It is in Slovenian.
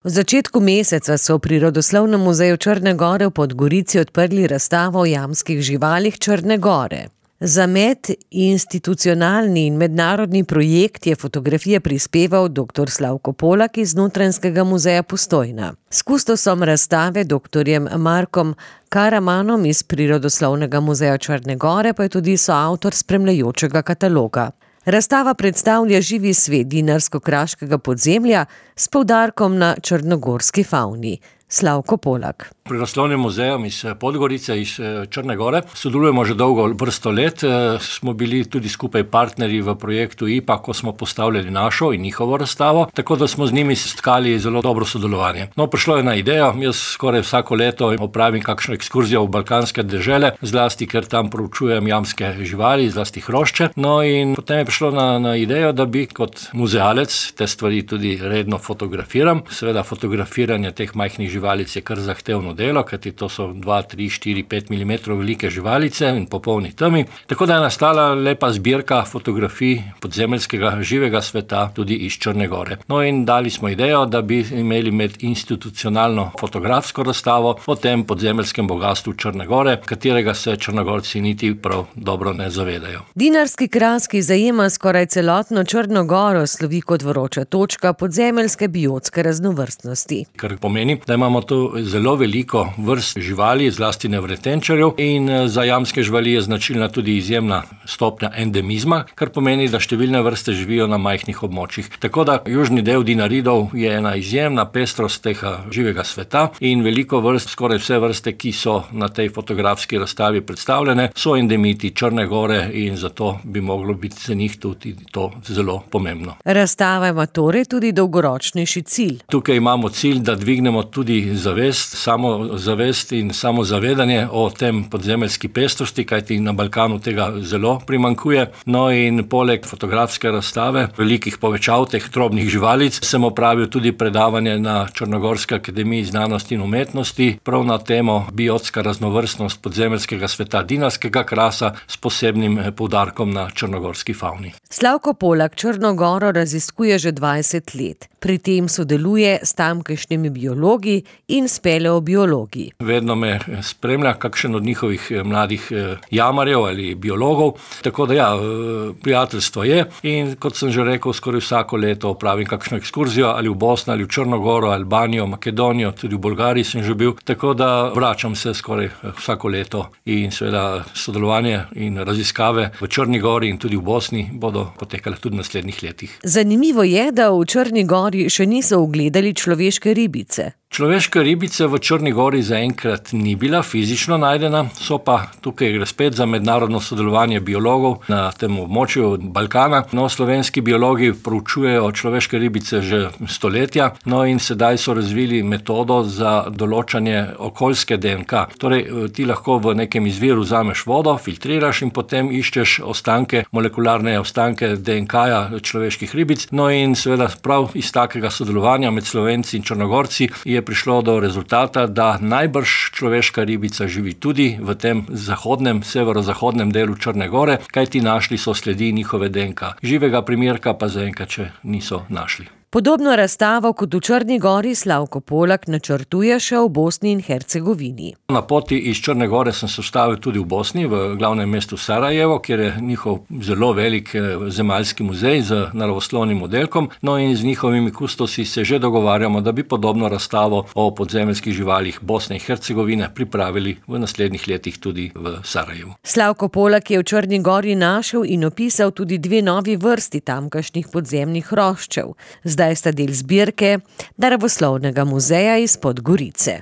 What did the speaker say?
V začetku meseca so v Prirodoslovnem muzeju Črne gore v Podgorici odprli razstavo o jamskih živalih Črne gore. Za medinstitucionalni in mednarodni projekt je fotografije prispeval dr. Slavko Polak iz Notranjskega muzeja Postojna. S kustosom razstave dr. Markom Karamanom iz Prirodoslovnega muzeja Črne gore pa je tudi soavtor spremljajočega kataloga. Razstava predstavlja živi svet dinarsko-kraškega podzemlja s poudarkom na črnogorski favni. Slavko Polak. Prirodoslovnim muzejem iz Podgorice, iz Črne gore sodelujemo že dolgo vrsto let. Smo bili tudi skupaj partnerji v projektu IPA, ko smo postavljali našo in njihovo razstavo, tako da smo z njimi stkali zelo dobro sodelovanje. Prišlo je na idejo, jaz skoraj vsako leto opravim kakšno ekskurzijo v balkanske dežele, zlasti ker tam proučujem jamske živali, zlasti hrošče. In potem je prišlo na idejo, da bi kot muzealec te stvari tudi redno fotografiram. Seveda fotografiranje teh majhnih živalic je kar zahtevno delo, kajti to so 2, 3, 4, 5 mm velike živalice in popolni temi. Tako da je nastala lepa zbirka fotografij podzemeljskega živega sveta tudi iz Črne gore. In dali smo idejo, da bi imeli medinstitucionalno fotografsko razstavo o tem podzemeljskem bogastvu Črne gore, katerega se Črnogorci niti prav dobro ne zavedajo. Dinarski kras, ki zajema skoraj celotno Črno goro, slovi kot vroča točka podzemeljske biotske raznovrstnosti. Kar pomeni, da imamo tu zelo veliko vrst živali, zlasti nevretenčarjev, in za jamske živali je značilna tudi izjemna stopnja endemizma, kar pomeni, da številne vrste živijo na majhnih območjih. Tako da južni del Dinaridov je ena izjemna pestrost tega živega sveta in veliko vrst, skoraj vse vrste, ki so na tej fotografski razstavi predstavljene, so endemiti Črne gore in zato bi moglo biti za njih tudi to zelo pomembno. Razstava ima torej tudi dolgoročnejši cilj. Tukaj imamo cilj, da dvignemo tudi samozavest in samozavedanje o tem podzemeljski pestrosti, kajti na Balkanu tega zelo primanjkuje. In poleg fotografske razstave velikih povečav teh drobnih živalic sem opravil tudi predavanje na Črnogorski akademiji znanosti in umetnosti prav na temo biotska raznovrstnost podzemeljskega sveta dinarskega krasa s posebnim poudarkom na črnogorski favni. Slavko Polak Črno goro raziskuje že 20 let. Pri tem sodeluje s tamkajšnjimi biologi in speleobiologi. Vedno me spremlja kakšen od njihovih mladih jamarjev ali biologov, tako da prijateljstvo je in kot sem že rekel, skoraj vsako leto opravim kakšno ekskurzijo ali v Bosno ali v Črno goro, Albanijo, Makedonijo, tudi v Bolgariji sem že bil, tako da vračam se skoraj vsako leto in seveda sodelovanje in raziskave v Črni gori in tudi v Bosni bodo potekale tudi v naslednjih letih. Zanimivo je, da v Črni gori še niso ugledali človeške ribice. Človeške ribice v Črni gori zaenkrat ni bila fizično najdena, so pa tukaj gre spet za mednarodno sodelovanje biologov na tem območju Balkana. Slovenski biologi proučujejo človeške ribice že stoletja, in sedaj so razvili metodo za določanje okoljske DNK. Torej, ti lahko v nekem izviru vzameš vodo, filtriraš in potem iščeš ostanke, molekularne ostanke DNK-ja človeških ribic. In seveda prav iz takega sodelovanja med Slovenci in Črnogorci je prišlo do rezultata, da najbrž človeška ribica živi tudi v tem zahodnem, severozahodnem delu Črne gore, kajti našli so sledi njihove DNK. Živega primerka pa zaenkrat še niso našli. Podobno razstavo kot v Črni gori Slavko Polak načrtuje še v Bosni in Hercegovini. Na poti iz Črne gore sem se ustavil tudi v Bosni, v glavnem mestu Sarajevo, kjer je njihov zelo velik zemaljski muzej z naravoslovnim oddelkom. In z njihovimi kustosi se že dogovarjamo, da bi podobno razstavo o podzemeljskih živalih Bosne in Hercegovine pripravili v naslednjih letih tudi v Sarajevu. Slavko Polak je v Črni gori našel in opisal tudi 2 novi vrsti tamkajšnjih podzemnih hroščev. Zdaj sta del zbirke Naravoslovnega muzeja iz Podgorice.